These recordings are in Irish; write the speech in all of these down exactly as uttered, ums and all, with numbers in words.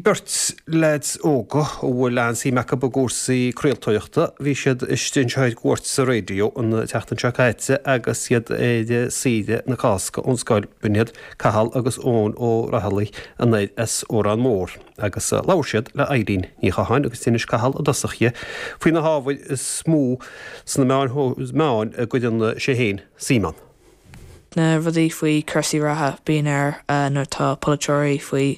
Beirt leaids óga a bhfuil an-suim acu i gcúrsaí craoltóireachta, bhí siad istigh anseo ar cuairt sa raidió an tseachtain seo caite agus iad ar saoire na Cásca ón scoil. B'in iad Cathal agus Eoin Ó Raghallaigh anoir as Órán Mór agus labhair siad le Eileen Ní Chatháin agus d'inis Cathal i dtosach di faoi na hábhair is mó sna meáin meáin a gcuireann sé féin suim ann. Na rudaí faoi cúrsaí reatha bíonn ar nuair atá polaiteoirí faoi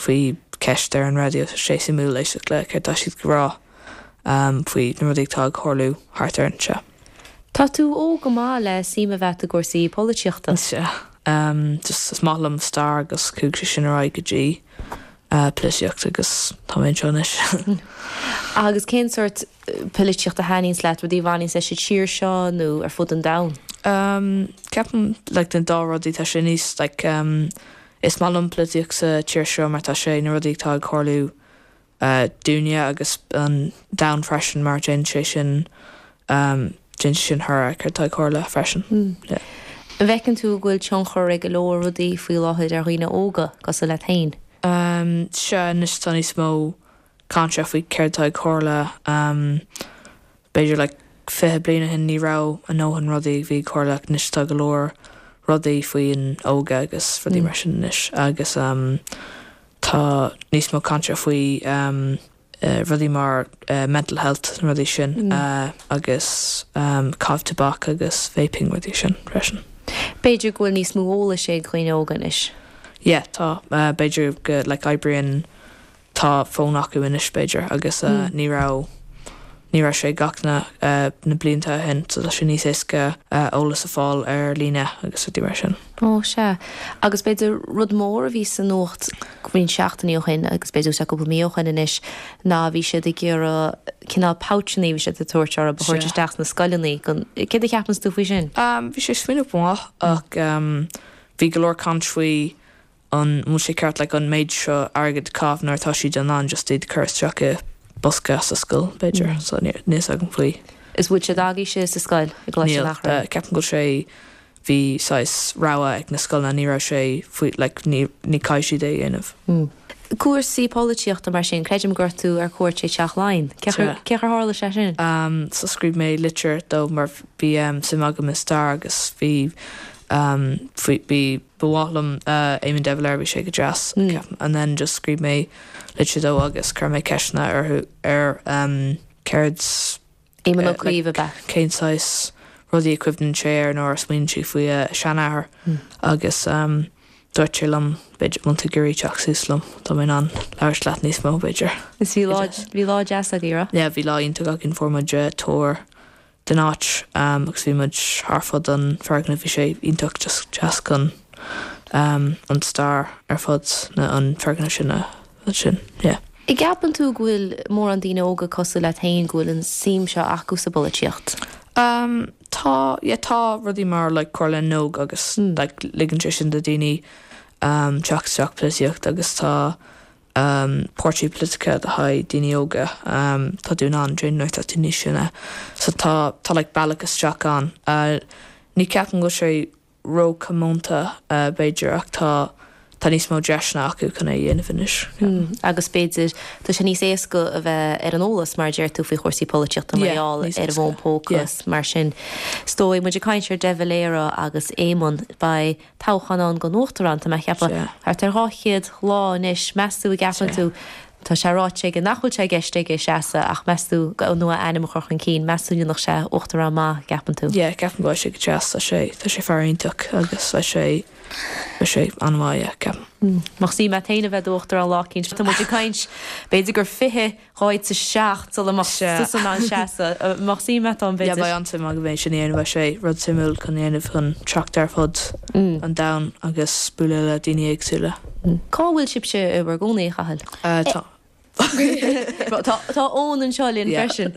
faoi ceist ar an raidió tá sé suimiúil éisteacht le céard tá siad ag rá um, faoi na rudaí atá ag tarlú thart ar anseo. Tá tú óg go maith le suim a bheith i gcúrsaí polaitíochta. Sea, um, just is maith liom stair agus chuaigh sé sin ar aghaidh go dtí uh, polaitíocht agus tá mé anseo anois. Agus cén sórt polaitíocht a thaitníonns leat rudaí a bhaineanns leis an tír seo nó ar fud an domhain? Um, ceapaim like, den dá rudaí tá sé níos like, um, is maith liom polaitíocht sa tír seo mar tá sé na rudaí atá ag tarlú uh, dúinne agus an domhan freisin mar déanann sé sin um, déanann sé sin thar céard atá ag tarlú freisin. Mm. Yeah. An bhfeiceann tú go bhfuil tionchar ag go leor rudaí faoi láthair ar dhaoine óga cosúil leat féin? Um, sea anois tá níos mó cainte faoi céard atá ag tarlú um, b'fhéidir like, fiche bliain ó shin ní raibh a ndóthain rudaí bhí ag tarlú anois tá go leor rudaí faoin óga agus rudaí Mm. mar sin anois agus um, tá níos mó cainte faoi um, uh, rudaí mar uh, mental health na rudaí sin Mm. uh, agus um, caitheamh tobac agus vaping rudaí sin freisin. B'fhéidir go bhfuil níos mó eolais ag dhaoine óga anois. Yeah, tá uh, b'fhéidir go like, oibríonn tá fón acu anois b'fhéidir agus uh, Mm. ní raibh ní raibh sé gach na uh, na blianta ó shin so tá sé níos éasca uh, eolas a fháil ar líne agus rudaí mar sin. Ó sea agus b'fhéidir rud mór a bhí sa nuacht roinnt seachtainí ó shin agus b'fhéidir sé cúpla mí ó shin anois ná bhí siad ag iarraidh cineál pouchanna bhí siad ag tabhairt ar a Sea. thabhairt isteach na scoileanna gan céard a cheapann tú faoi sin. Um, bhí sé smaoineamh maith ach um, bhí go leor caint faoi an bhfuil sé ceart like, an méid seo airgead caitheamh nuair atá siad an an just iad cur isteach i bosca sa scoil b'fhéidir Mm. so ní níos agam faoi. Is bhfuil sé agaibhse sa scoil i gColáiste Níl, an Eachréidh. uh, ceapaim go bhfuil sé bhí saghas rogha ag na scoileanna ní raibh sé faoi like, ní ní caithfidh siad é a dhéanamh. Mm. Cúrsaí polaitíochta mar sin creidim go raibh tú ar cuairt ag Teach Laighean. Sea. Cé tharla sé sin? Um, so scríobh mé litir dó mar bhí um, suim agam i stair agus bhí um, faoi bhí ba mhaith liom uh, Éamon de Valera bhí sé go deas Mm. ceapaim. and then just scríobh mé litir dó agus chuir mé ceisteanna orthu ar um, céard Éamon uh, Ó Cuív ab ea. cén saghas rudaí a chuimhníonn sé ar nuair a smaoiníonn sé faoi a seanathair Mm. agus um, dúirt sé liom b'fhéidir má tá tú ag iarraidh teacht suas liom tá mé in ann labhairt leat níos mó b'fhéidir. Is bhí lá bhí lá deas agaibh ra? Yeah, bhí lá iontach againn fuair muid uh, tour den áit um, agus bhí muid thar fud an foirgneamh bhí sé iontach just deas chun um, an stair ar fud na an foirgneamh sin a sin yeah. An gceapann tú go bhfuil mórán daoine óga cosúil leat féin go bhfuil an suim seo acu sa bpolaitíocht. Um, tá yeah, tá rudaí mar like, Comhairle na nÓg agus Mm. like, ligeann sé sin do daoine um, teacht isteach polaitíocht agus tá um, páirtí polaitíochta do haghaidh daoine óga um, tá tú in ann déanamh nuair atá tú níos sine so tá tá like, bealach isteach ann uh, ní ceapaim go bhfuil sé róchomónta uh, b'fhéidir ach tá tá níos mó deiseanna acu chun é a dhéanamh anois. Mm. Agus b'fhéidir tá sé níos éasca a bheith ar an eolas mar deir tú faoi chúrsaí polaitíochta Yeah, mar gheall níos ar éasca. bhfón póca mar sin. Stóid muid ag caint ar De Valera agus Éamon beidh toghchán ann don uachtarán tá mé ag ceapadh Sea. thart ar dhá chéad lá anois meas tú an gceapann Sea. tú Tá sé ráite aige nach bhfuil sé i gceist aige seasamh ach meas tú nó a ainm a chur chun cinn meas tú nach sé uachtarán maith gceapann tú. Yeah, ceapaim go bhfuil sé go deas tá sé tá sé fear iontach agus tá sé tá sé an-mhaith ceapaim. Má sí me féin a bheith uachtarán lá éicint tá muid ag caint b'fhéidir gur fiche ráit sa seacht sula Sea. an seasamh má sí me an Yeah, b'fhéidir. beidh an-suim agam é sin a dhéanamh beidh sé rud suimiúil chun dhéanamh chun teacht ar fud Mm. an domhain agus bualadh le daoine éagsúla. Cá bhfuil sibhse i bhur gcónaí a Chathail? Uh, tá Tá tá Eoin anseo linn Yeah. freisin.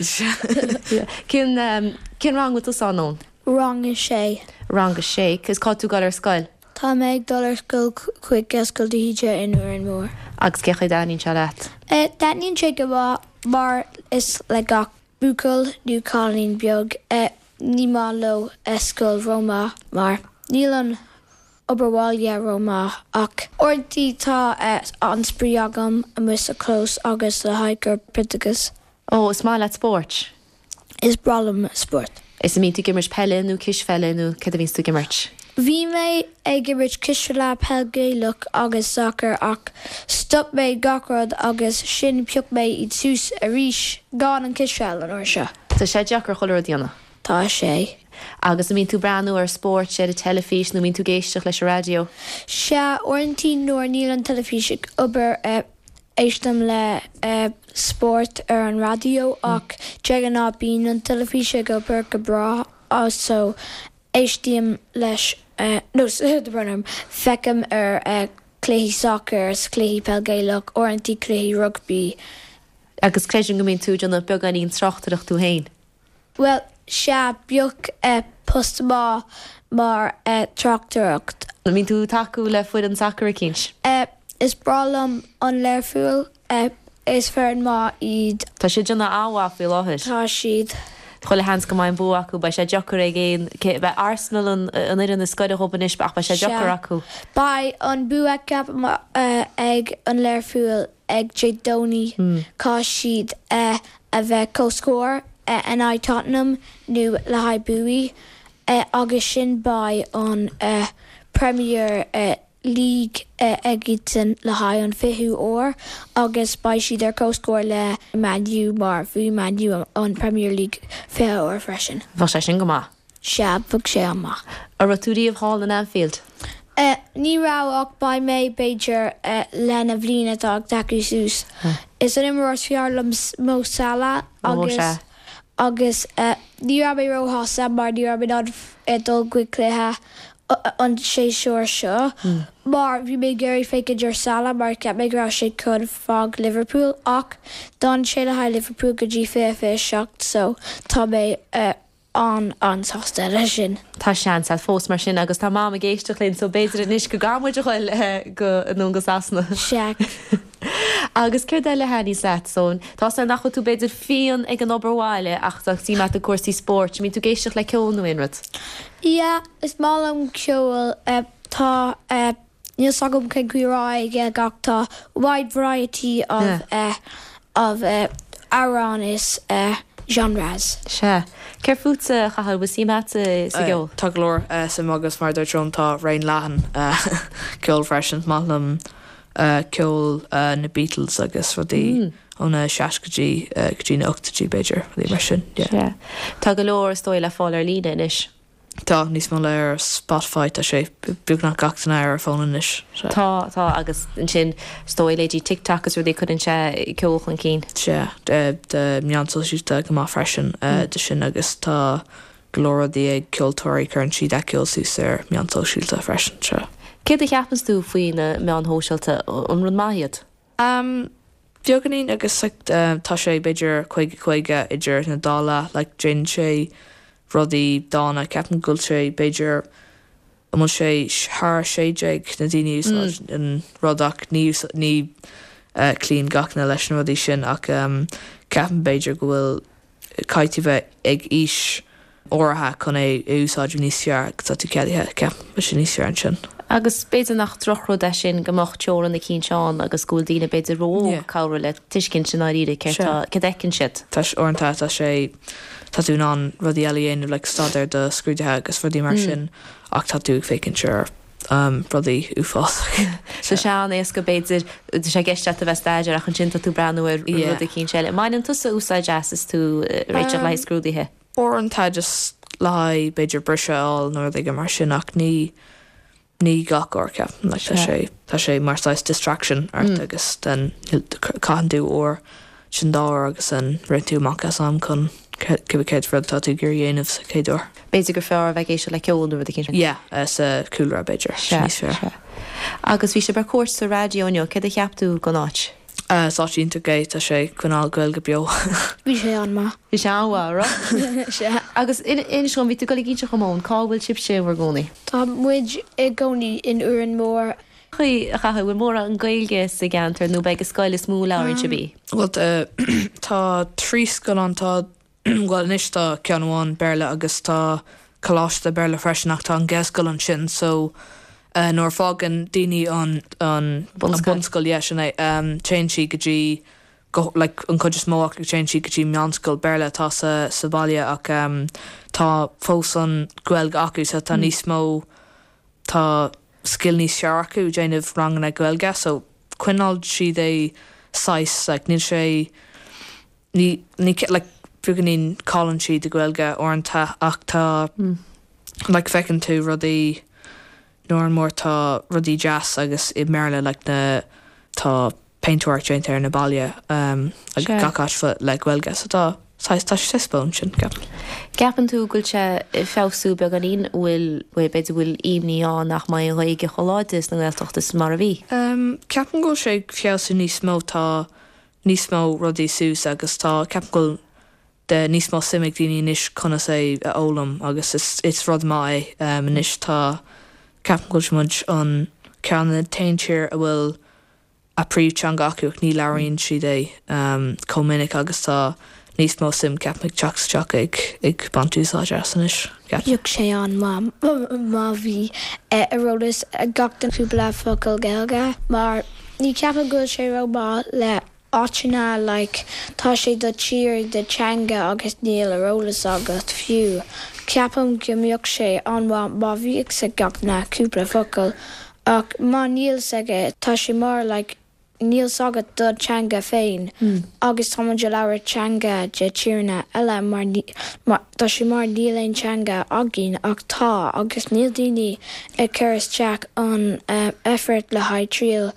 Cén um, cén rang bhfuil tú ann Eoin? Rang a sé. Rang a sé, cos cá tú ag dul ar scoil Tá mé ag dul ar scoil chuig Gaelscoil de hÍde in Órán Mór. agus cén chaoi a dtaitníonn sé leat. Uh, Taitníonn sé go maith mar is le gach buachaill nó cailín beag uh, ní maith leo scoil rómhaith mar níl an obair bhaile rómhaith ach uaireanta tá an-spraoi agam amuigh sa chlós agus le haghaidh corpoideachas. Ó, is maith leat spórt? Is breá liom spórt. Is an mbíonn tú ag imirt peile nó cispheile nó cad a bhíonns tú ag imirt? Bhí mé ag imirt cispheile peil Gaelach agus sacar ach stop mé gach rud agus sin phioc mé iad suas arís gan an cispheil an uair seo. Tá sé deacair chuile rud a dhéanamh. Tá sé. Agus an mbíonn tú ag breathnú ar spórt ar an teilifís nó mbíonn tú ag éisteacht leis an raidió? Sea, uaireanta nuair níl an teilifís ag obair éistim le spórt ar an raidió ach de ghnáth bíonn an teilifís ag obair go breá so éistim leis nó feicim ar cluichí sacair is cluichí peil Gaelach, uaireanta cluichí rugbaí. Agus creidim go mbíonn tú ag déanamh beagáinín tráchtaireacht tú féin? Bhuel, sea, bheadh post maith mar tráchtaireacht. An mbíonn tú ag tacú le foireann sacair eicínt? Is breá liom an Learpholl, is foireann maith iad. Tá siad ag déanamh an-mhaith faoi láthair. Tá siad. Chuile sheans go mbeidh an bua acu, beidh sé deacair ag aon, beidh Arsenal an fhoireann is gaire dhóibh anois ach beidh sé deacair acu. Beidh an bua ceapaim ag an Learpholl ag Dé Domhnaigh, caithfidh siad a bheith comhscór in aghaidh Tottenham nó le haghaidh buaidh agus sin beidh an Premier League ag iadsan le haghaidh an fichiú uair agus beidh siad ar comhscór le Man U mar bhuaigh Man U an Premier League fiche uair freisin. Bheadh sé sin go maith. Sea, bheadh sé an-mhaith. An raibh tú riamh thall in Anfield? Ní raibh ach beidh mé b'fhéidir lena bhliain atá ag tacú suas. Is an imreoir is fearr liom Mo Salah agus agus ní raibh mé róshásta mar ní raibh mé in ann dul chuig cluiche an séasúr seo mar bhí mé ag iarraidh féachaint ar Salah mar cheap mé go raibh sé chun fág Liverpool ach d'fhan sé le haghaidh Liverpool go dtí fiche fiche seacht so tá mé an-an-sásta leis sin. Tá seans agat fós mar sin agus tá Mam ag éisteacht linn so b'fhéidir anois go gcaithfidh muid a ghoil go anonn go Sasana. Sea. Agus céard eile a thaitníos leat so tá sé nach bhfuil tú b'fhéidir fiáin ag an obair bhaile ach tá suim agat i gcúrsaí spóirt, mbíonn tú ag éisteacht le ceol nó aon rud? Yeah, is maith liom ceol. Tá níl 's agam cén chaoi a rá é ach tá wide variety of of amhrán is genres. Sea. Céard fútsa, a Chathail, bhfuil suim agat sa gceol? Tá go leor suim agus mar a dúirt Eoin tá raon leathan ceoil freisin. Is maith liom ceol na Beatles agus rudaí ó na seascaidí go dtí na ochtóidí b'fhéidir, rudaí mar sin, yeah. Sea. Tá go leor is dóigh le fáil ar líne anois. Tá níos mó le ar Spotify, tá sé beagnach gach duine ar a fón anois. Tá, tá agus ansin is dóigh leithéidí TikTok is rudaí cuireann sé ceol chun cinn. Sea, de meáin sóisialta go maith freisin de sin agus tá go leor rudaí ag ceoltóirí, cuireann siad a gceol suas ar meáin sóisialta freisin, sea. Céard a cheapanns tú faoi na meáin shóisialta, an rud maith iad? Beagáinín agus like tá sé b'fhéidir caoga caoga idir na dá leath, like déanann sé rudaí dána, ceapaim go bhfuil sé b'fhéidir an bhfuil sé thar a sé déag na daoine a úsáid an rud ach ní ní cloíonn gach duine leis na rudaí sin ach ceapaim b'fhéidir go bhfuil caithfidh tú bheith ag aois áirithe chun é a úsáid níos fearr agus tá tú ceadaithe, ceapaim, beidh sé níos fearr ansin. Agus b'fhéidir nach drochrud é sin go mbeadh teorainn eicínt ann agus go bhfuil daoine b'fhéidir ró-óg cabhrú le tuiscint i ndáiríre céard tá, céard a fheiceann siad. Tá sé, uaireanta tá sé, tá tú in ann rudaí eile a dhéanamh like staidéar do scrúduithe agus rudaí mar sin ach tá tú ag féachaint ar rudaí uafásacha. Tá sé an-éasca b'fhéidir, tá sé i gceist agat a bheith ag staidéar ach ansin tá tú ag breathnú ar rud eicínt eile. An mbaineann tusa úsáid as is tú ag réiteach le haghaidh scrúduithe? Uaireanta just le haghaidh b'fhéidir briseadh a fháil nó rud éigin mar sin ach ní ní gach uair ceapaim like tá sé tá sé mar saghas distraction ort agus then caitheann tú uair sin dhá uair agus then ritheann tú amach as am chun cibé céard rud atá tú ag iarraidh a dhéanamh sa chéad uair. B'fhéidir gur fearr a bheith ag éisteacht le ceol nó rud éicint. Yeah, sa chúlra b'fhéidir, Sea, níos fearr. sea. Agus bhí sibh ar cuairt sa raidió inniu, céard a cheap tú den áit? Is áit iontach é, tá sé ag coinneáil Gaeilge beo. Bhí sé an-mhaith. Bhí sé an-mhaith, raibh? Sea. Agus inis dom, bhí tú ag dul ag inse dhom Eoin, cá bhfuil sibhse in bhur gcónaí? Tá muid i gcónaí in Órán Mór. A Chathail, bhfuil mórán Gaeilge sa gceantar nó beidh ag an scoil is mó a labhraíonn sibh í? Bhuel, tá trí scoil ann, tá, bhuel anois tá ceann amháin Béarla agus tá coláiste Béarla freisin ach tá an Ghaelscoil ansin so Nuair a fágann daoine an an bunscoil yeah, sin é um, téann siad go dtí go like an chuid is mó acu téann siad go dtí meánscoil Béarla atá sa sa bhaile ach um, tá fós an Ghaeilge acu so tá mm. níos mó tá scil níos fearr acu déanamh ranganna Gaeilge so coinneáil siad é saghas like, níl sé ní ní like, beagáinín cailleann siad an Ghaeilge uaireanta ach tá mm. like, feiceann tú rudaí nuair mór tá rudaí deas agus i mBéarla like, na tá péintéireacht déanta ar na ballaí um, gach áit le Gaeilge so tá tá sé spón sin ceapaim. Ceapann tú go bhfuil sé feabhsú beagáinín bhfuil b'fhéidir bhfuil imní ann nach mbeidh an Ghaeilge chomh láidir sna Gaeltachtaí is mar a bhí. Um, ceapaim go bhfuil sé feabhsú níos mó tá níos mó rudaí suas agus tá ceapaim go bhfuil de níos mó suim ag daoine anois conas é a fhoghlaim agus is, is rud maith é um, anois tá ceapaim go bhfuil muid an ceann na t-aon tír a bhfuil a príomhteanga acu ní labhraíonn siad é um, chomh minic agus tá níos mó suim ceapaim ag teacht isteach ag ag baint úsáid as anois. Bheadh sé an-mhaith má bhí ar eolas gach duine cúpla focal Gaeilge mar ní ceapaim go bhfuil sé ró-mhaith le áiteanna like tá sé do tír do teanga agus níl ar eolas agat fiú. Ceapaim go mbeadh sé an-mhaith má bhíodh ag gach duine cúpla focal ach má níl aige tá sé mar like, níl agat do teanga féin mm. agus tá ag labhairt teanga de tíortha eile mar, mar tá sé mar níl aon teanga againn ach tá agus níl daoine ag cur isteach an uh, effort le haghaidh triail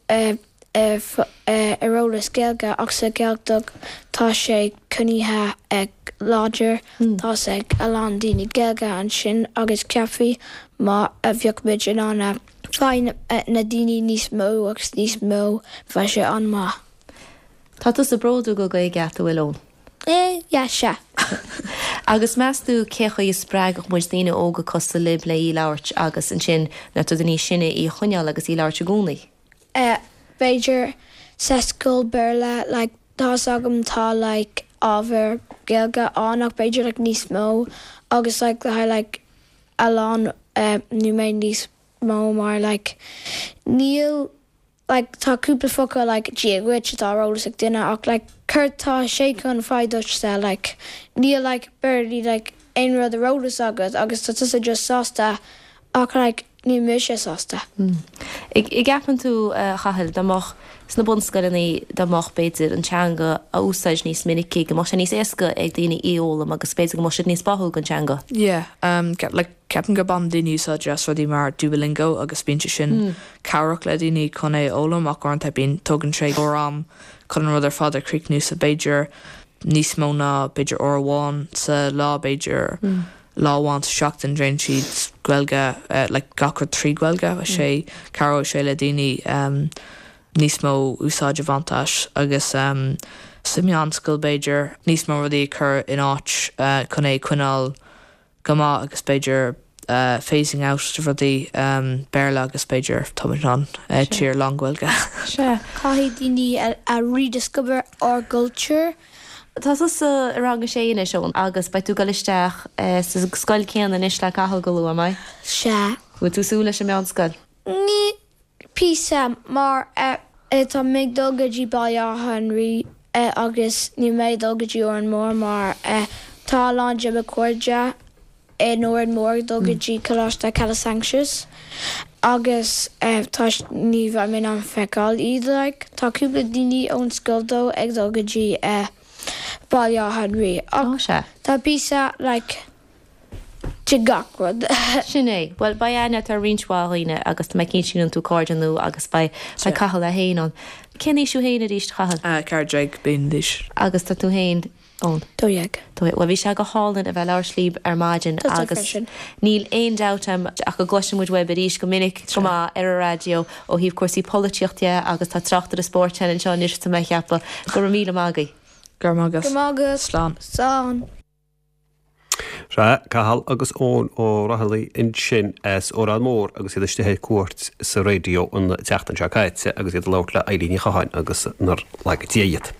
uh, ar eolas Gaeilge ach sa Ghaeltacht tá sé coinnithe ag láidir mm. Tá ag a lán daoine Gaeilge ansin agus ceapaim má a bheadh muid in ann fáil na daoine níos mó agus níos mó bheadh sé an-mhaith. Tá tú bródúil go Gaeilge a bhfuil ann. Eh, yeah, sea. Agus meas tú cé chaoi a spreagfadh muid daoine óga cosúil libh le í labhairt agus ansin na daoine sine í a choinneáil agus í labhairt i gcónaí. Uh, b'fhéidir sa scoil Béarla like, tá agam tá like, ábhar Gaeilge ann ach b'fhéidir like, níos mó agus like, le like, a lán uh, nó mé níos mó mar like, níl like, tá cúpla focal like, Dia duit atá ar eolas ag duine ach like, cur tá sé chun fáid like, níl like, barely like, aon rud ar eolas agat agus tá tusa just sásta ach like, ní mise sásta. Mm. I gceapann tú Chathail dá mbeadh sna bunscoileanna dá mbeadh b'fhéidir an teanga a úsáid níos minicí go mbeadh sé níos éasca ag daoine í fhoghlaim agus b'fhéidir go mbeadh siad níos báúla don teanga. Yeah, um, like, ceapaim go mbaineann daoine úsáid as rudaí mar Duolingo agus bíonn sé sin mm. cabhrach le daoine chun é fhoghlaim ach uaireanta bíonn tugann sé am chun an rud ar fad a chríochnú sa b'fhéidir níos mó ná b'fhéidir uair amháin sa lá b'fhéidir mm. lá amháin sa seachtain déanann siad Gaeilge uh, like gach rud trí Ghaeilge mm. sé cabhróidh sé le daoine um, níos mó úsáid a bhaint as agus um, sa meánscoil b'fhéidir níos mó rudaí chur in áit uh, chun é coinneáil go maith agus b'fhéidir uh, phasing out de rudaí um, Béarla agus b'fhéidir tá an uh, tír lán-Ghaeilge. Se. Caithfidh daoine a, a rediscover our culture. Tá tusa i rang a sé anois Eoin agus beidh tú ag dul isteach sa scoil céanna anois le Cathal go luath mé. Se. Bhfuil tú súil leis an meánscoil? Ní píosa mar uh, tá mé ag dul go dtí Baile Átha an Rí uh, agus ní mé dul go dtí Órán Mór mar uh, tá lán de mo chairde in Órán Mór dul go dtí Coláiste Calasanctius agus uh, tá ní bheidh mé an feiceáil iad like, tá cúpla daoine ón scoil dó ag dul go dtí uh, Baile Átha an Rí. Ó se. Tá píosa like, de gach rud. Sin é, Well ba aine tar roinnt mhaith agus me cín sin an tú cairde nua agus bei bei Cathal a haon an. Cén aois thú féin arís Chathail? Ceathair déag bliain d'aois. Agus tá tú féin ann. Dó dhéag. Well bhí sé go hálainn a bheith labhairt libh ar maidin agus níl aon dabht ach go gcloisfidh muid uaibh arís go minic go maith ar an raidió ó thaobh cúrsaí polaitíochta agus tá tráchtaire spóirt anseo anois tá mé ag ceapadh go raibh míle maith agaibh. Gur magus. Go magus. Slán. Slán. Se Cathal agus Eoin Ó Raghallaigh ansin as Órán Mór agus iad istigh ar cuairt sa raidió an tseachtain seo caite agus iad ag labhairt le Eilín Ní Chatháin agus nár laga Dia iad.